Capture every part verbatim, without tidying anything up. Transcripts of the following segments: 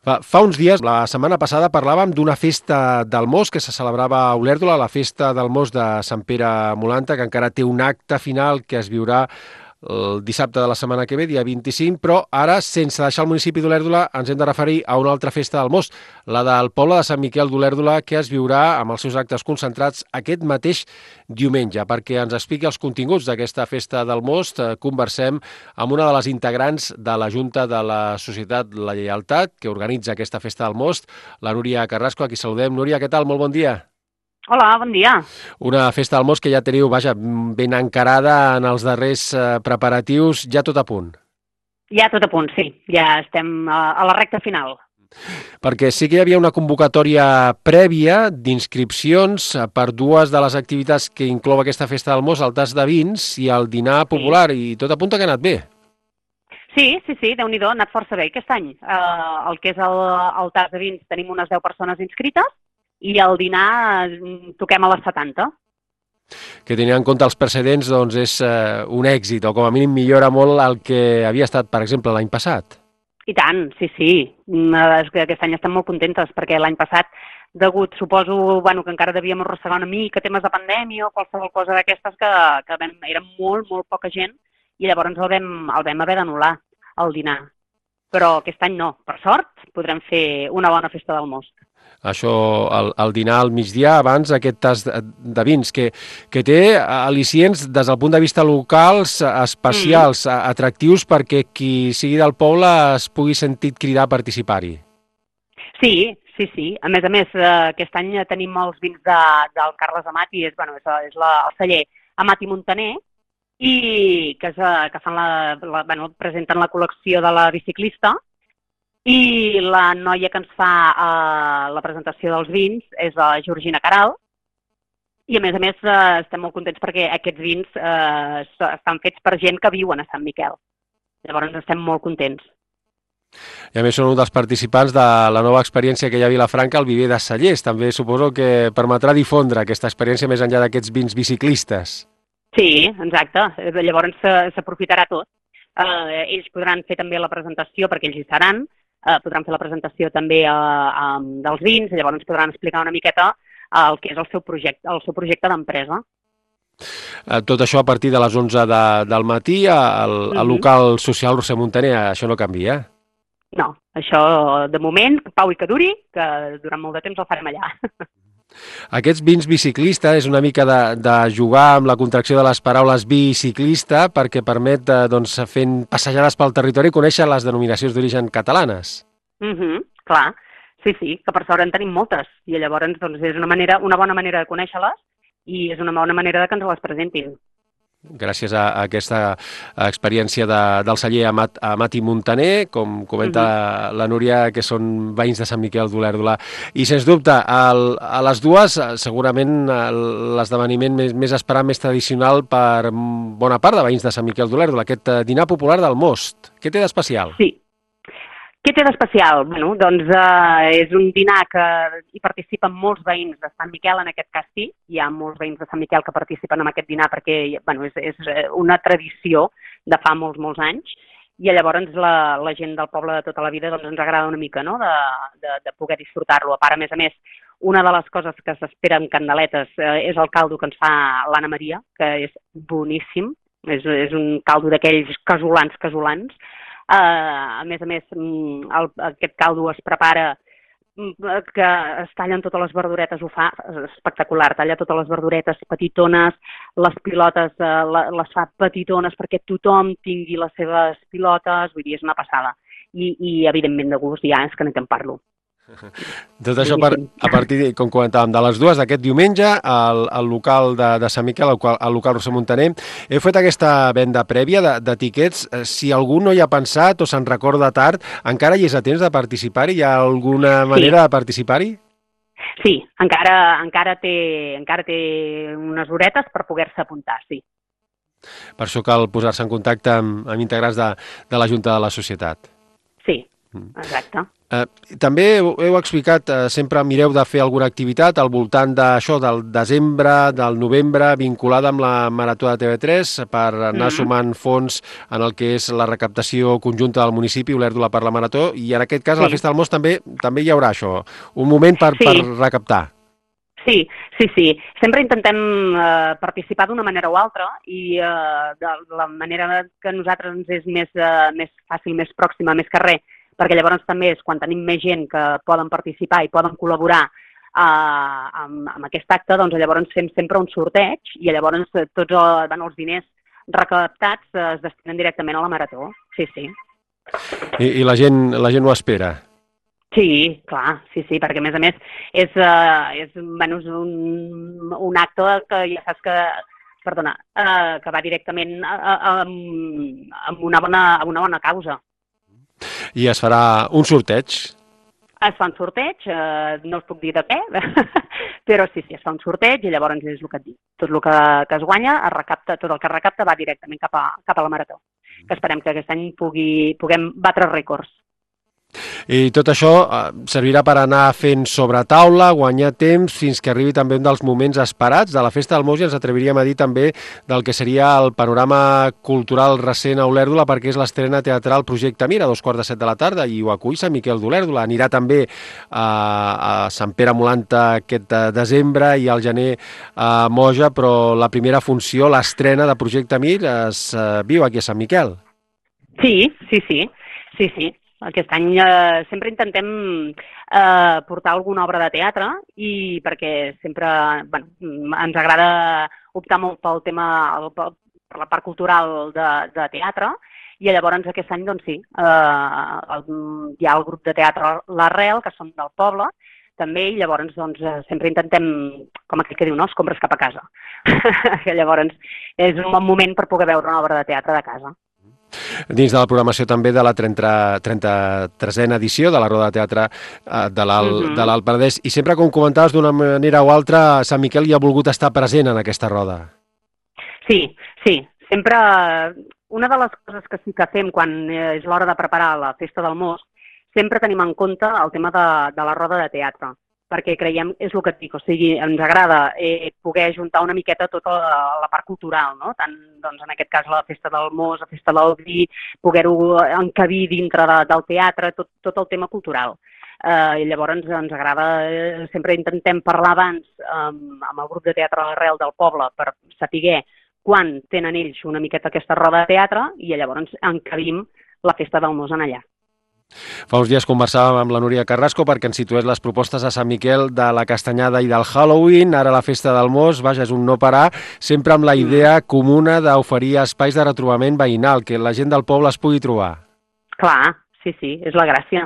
Fa, fa uns dies, la setmana passada, parlàvem d'una festa del Most que se celebrava a Olèrdola, la festa del Most de Sant Pere Molanta, que encara té un acte final que es viurà el dissabte de la setmana que ve, dia vint-i-cinc, però ara, sense deixar el municipi d'Olèrdola, ens hem de referir a una altra festa del Most, la del poble de Sant Miquel d'Olèrdola, que es viurà amb els seus actes concentrats aquest mateix diumenge. Perquè ens expliqui els continguts d'aquesta festa del Most, eh, conversem amb una de les integrants de la Junta de la Societat La Lleialtat, que organitza aquesta festa del Most, la Núria Carrasco, a qui saludem. Núria, què tal? Molt bon dia. Hola, bon dia. Una festa del Most que ja teniu, vaja, ben encarada en els darrers eh, preparatius, ja tot a punt. Ja tot a punt, sí. Ja estem a, a la recta final. Perquè sí que hi havia una convocatòria prèvia d'inscripcions per dues de les activitats que inclou aquesta festa del Most, el tas de vins i el dinar popular, sí. I tot apunta que ha anat bé. Sí, sí, sí, Déu-n'hi-do, ha anat força bé aquest any. Uh, el que és el, el tas de vins tenim unes deu persones inscrites, i el dinar toquem a les setanta. Que tenint en compte els precedents, doncs és eh, un èxit, o com a mínim millora molt el que havia estat, per exemple, l'any passat. I tant, sí, sí. És que aquest any estem molt contentes, perquè l'any passat, degut, suposo, bueno, que encara devíem arrossegar una mica temes de pandèmia o qualsevol cosa d'aquestes, que, que vam, era molt, molt poca gent, i llavors el vam, el vam haver d'anul·lar, el dinar. Però aquest any no. Per sort, podrem fer una bona festa del Most. Això, el, el dinar al migdia, abans aquest tas de, de vins, que, que té al·licients des del punt de vista locals, especials, mm. atractius, perquè qui sigui del poble es pugui sentir cridar a participar-hi. Sí, sí, sí. A més a més, aquest any tenim els vins de, del Carles Amat, i és, bueno, és, és la, el celler Amat i Muntaner, i que, és, que fan la, la, bueno, presenten la col·lecció de la biciclista, i la noia que ens fa eh, la presentació dels vins és la Georgina Caral, i a més a més eh, estem molt contents perquè aquests vins eh, estan fets per gent que viuen a Sant Miquel. Llavors estem molt contents. I a més són un dels participants de la nova experiència que hi ha a Vilafranca, el Viver de Cellers. També suposo que permetrà difondre aquesta experiència més enllà d'aquests vins biciclistes. Sí, exacte. Llavors s'aprofitarà tot. Eh, ells podran fer també la presentació, perquè ells hi seran, eh, podran fer la presentació també eh, eh, dels vins, i llavors ens podran explicar una miqueta eh, el que és el seu projecte, el seu projecte d'empresa. Tot això a partir de les onze de, del matí al, al uh-huh. local social Roser Muntaner, això no canvia? No, això de moment, pau i que duri, que durant molt de temps el farem allà. Aquests vins biciclista és una mica de, de jugar amb la contracció de les paraules biciclista, perquè permet, doncs, fent passejades pel territori, conèixer les denominacions d'origen catalanes. Mm-hmm, clar, sí, sí, que per sort en tenim moltes, i llavors doncs, és una, manera, una bona manera de conèixer-les, i és una bona manera de que ens les presentin. Gràcies a, a aquesta experiència de, del celler Amat, Amat i Muntaner, com comenta uh-huh. la Núria, que són veïns de Sant Miquel d'Olèrdola. I, sens dubte, el, a les dues, segurament l'esdeveniment més, més esperat, més tradicional per bona part de veïns de Sant Miquel d'Olèrdola, aquest dinar popular del Most. Què té d'especial? Sí. Què té d'especial? Bueno, doncs eh, és un dinar que hi participen molts veïns de Sant Miquel, en aquest cas sí. Hi ha molts veïns de Sant Miquel que participen en aquest dinar perquè bueno, és, és una tradició de fa molts, molts anys. I llavors la, la gent del poble de tota la vida doncs, ens agrada una mica, no?, de, de, de poder disfrutar-lo. A part, a més a més, una de les coses que s'espera amb candeletes eh, és el caldo que ens fa l'Anna Maria, que és boníssim. És, és un caldo d'aquells casolans, casolans. Uh, a més a més, el, aquest caldo es prepara, que es tallen totes les verduretes, ho fa espectacular, talla totes les verduretes petitones, les pilotes uh, les fa petitones perquè tothom tingui les seves pilotes, vull dir, és una passada. I, i evidentment de gust, ja és que no te'n parlo. Tot això per, a partir, com comentàvem, de les dues d'aquest diumenge al, al local de, de Sant Miquel, al, al local Roser Muntaner. Heu fet aquesta venda prèvia de, de tiquets. Si algú no hi ha pensat o se'n recorda tard, encara hi és a temps de participar-hi? Hi ha alguna manera sí. de participar-hi? Sí, encara, encara, té, encara té unes horetes per poder-se apuntar, sí. Per això cal posar-se en contacte amb, amb integrants de, de la Junta de la Societat. Sí, Exacte. Eh, també heu, heu explicat, eh, sempre mireu de fer alguna activitat al voltant d'això, del desembre, del novembre, vinculada amb la Marató de T V tres per anar Mm-hmm. sumant fons en el que és la recaptació conjunta del municipi, Olèrdola per la Marató, i en aquest cas a la Sí. Festa del Most també també hi haurà això, un moment per, Sí. per recaptar. Sí, sí, sí. Sempre intentem eh, participar d'una manera o altra i eh, de la manera que a nosaltres ens és més, eh, més fàcil, més pròxima, més que res, perquè llavors també és quan tenim més gent que poden participar i poden col·laborar eh, amb, amb aquest acte, doncs llavors fem sempre un sorteig i llavors tots el, bueno, els diners recaptats eh, es destinen directament a la Marató. Sí, sí. I, i la, gent, la gent ho espera. Sí, clar, sí, sí, perquè a més a més és, uh, és, bueno, és un, un acte que ja saps que, perdona, uh, que va directament a, a, a, amb una bona, a una bona causa. I es farà un sorteig. Es fa un sorteig, uh, no us puc dir de què, però sí, sí, es fa un sorteig i llavors és el que et dic. Tot el que, que es guanya, es recapta, tot el que es recapta va directament cap a, cap a la Marató, que esperem que aquest any pugui, puguem batre rècords. I tot això servirà per anar fent sobre taula, guanyar temps, fins que arribi també un dels moments esperats de la Festa del Most, i ens atreviríem a dir també del que seria el panorama cultural recent a Olèrdola, perquè és l'estrena teatral Projecte Mir a dos quarts de set de la tarda, i ho acull Sant Miquel d'Olèrdola. Anirà també a, a Sant Pere Molanta aquest desembre i al gener a Moja, però la primera funció, l'estrena de Projecte Mir, es uh, viu aquí a Sant Miquel. Sí, sí, sí, sí, sí. Aquest any eh, sempre intentem eh, portar alguna obra de teatre i perquè sempre bueno, ens agrada optar molt pel tema, el, per la part cultural de, de teatre i llavors aquest any doncs sí, eh, el, hi ha el grup de teatre L'Arrel, que són del poble, també, i llavors doncs, sempre intentem, com aquell que diu, no, escombres cap a casa. Que llavors és un bon moment per poder veure una obra de teatre de casa. Dins de la programació també de la trenta-tresena edició de la Roda de Teatre de l'Alt Penedès. I sempre, com comentaves, d'una manera o altra, Sant Miquel hi ha volgut estar present en aquesta roda. Sí, sí. Sempre, una de les coses que sí que fem quan és l'hora de preparar la Festa del Most, sempre tenim en compte el tema de, de la roda de teatre, perquè creiem, és el que et dic, o sigui, ens agrada eh, poder juntar una miqueta tota la, la part cultural, no? Tant, doncs, en aquest cas, la Festa del Most, la Festa del Vi, poder-ho encabir dintre de, del teatre, tot, tot el tema cultural. Eh, I llavors ens, ens agrada, eh, sempre intentem parlar abans amb, amb el grup de teatre L'Arrel del poble per saber quan tenen ells una miqueta aquesta roda de teatre i llavors encabim la Festa del Most en allà. Fa uns dies conversàvem amb la Núria Carrasco perquè ens situés les propostes a Sant Miquel de la Castanyada i del Halloween, ara la Festa del Most, vaja, és un no parar, sempre amb la idea comuna d'oferir espais de retrobament veïnal, que la gent del poble es pugui trobar. Clar, sí, sí, és la gràcia,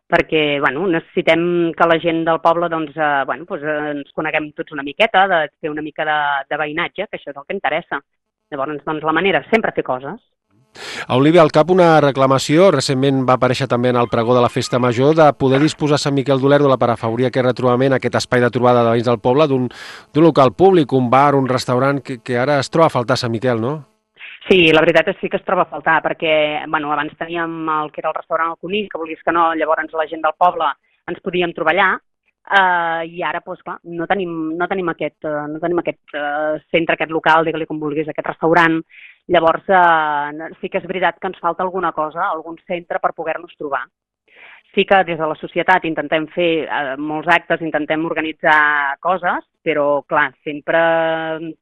perquè bueno, necessitem que la gent del poble doncs, eh, bueno, doncs, eh, ens coneguem tots una miqueta, de fer una mica de, de veïnatge, que això és el que interessa. Llavors, doncs, la manera és sempre fer coses. A Olivia, al cap una reclamació, recentment va aparèixer també en el pregó de la Festa Major, de poder disposar Sant Miquel d'Olèrdola per afavorir aquest retrobament, aquest espai de trobada de veïns del poble, d'un local públic, un bar, un restaurant, que, que ara es troba a faltar a Sant Miquel, no? Sí, la veritat és que sí que es troba a faltar, perquè bueno, abans teníem el que era el restaurant El Conill, que volies que no, llavors la gent del poble ens podíem trobar allà, Uh, i ara doncs, clar, no tenim, no tenim aquest, uh, no tenim aquest uh, centre, aquest local, digue-li com vulguis, aquest restaurant. Llavors uh, sí que és veritat que ens falta alguna cosa, algun centre per poder-nos trobar. Sí que des de la societat intentem fer uh, molts actes, intentem organitzar coses, però clar, sempre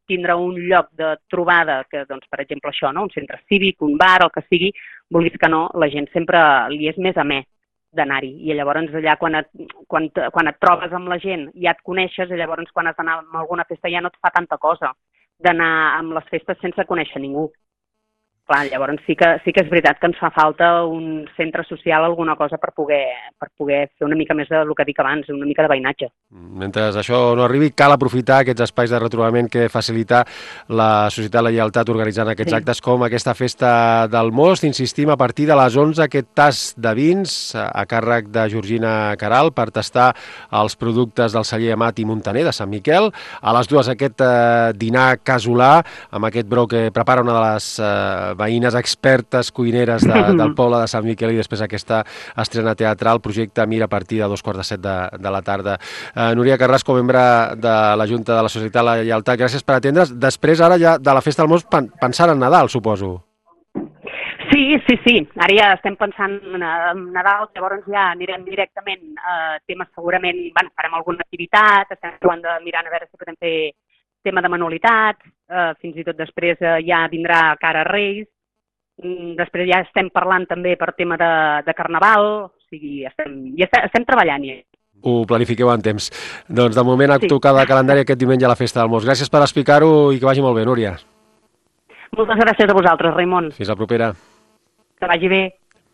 tindre un lloc de trobada, que doncs, per exemple això, no? Un centre cívic, un bar, el que sigui, vulguis que no, la gent sempre li és més amè d'anar-hi, i llavors allà quan et, quan, quan et trobes amb la gent ja et coneixes, i llavors quan has d'anar a alguna festa ja no et fa tanta cosa d'anar amb les festes sense conèixer ningú. Clar, llavors sí que, sí que és veritat que ens fa falta un centre social, alguna cosa per poder, per poder fer una mica més del que dic abans, una mica de veïnatge. Mentre això no arribi, cal aprofitar aquests espais de retrobament que facilita la Societat La Lleialtat organitzant aquests sí. actes com aquesta Festa del Most. Insistim, a partir de les onze, aquest tast de vins a càrrec de Georgina Caral per tastar els productes del celler Amat i Montaner de Sant Miquel. A les dues aquest eh, dinar casolà amb aquest brou que prepara una de les eh, veïnes expertes cuineres de, del poble de Sant Miquel i després aquesta estrena teatral, projecte Mira, a partir de dos quarts de set de, de la tarda. Uh, Núria Carrasco, membre de la Junta de la Societat La Lleialtat, gràcies per atendre's. Després, ara ja de la Festa del Mos, pensant en Nadal, suposo. Sí, sí, sí. Ara ja estem pensant en Nadal, llavors ja anirem directament a temes segurament, bueno, farem alguna activitat, estem provant de mirar a veure si podem fer tema de manualitats, eh, fins i tot després eh, ja vindrà cara a Reis, mm, després ja estem parlant també per tema de, de Carnaval, o sigui, estem, ja estem, estem treballant ja. Ho planifiqueu en temps. Doncs de moment a Sí. tocar de calendari aquest diumenge a la Festa del Mos. Gràcies per explicar-ho i que vagi molt bé, Núria. Moltes gràcies a vosaltres, Raimon. Fins la propera. Que vagi bé.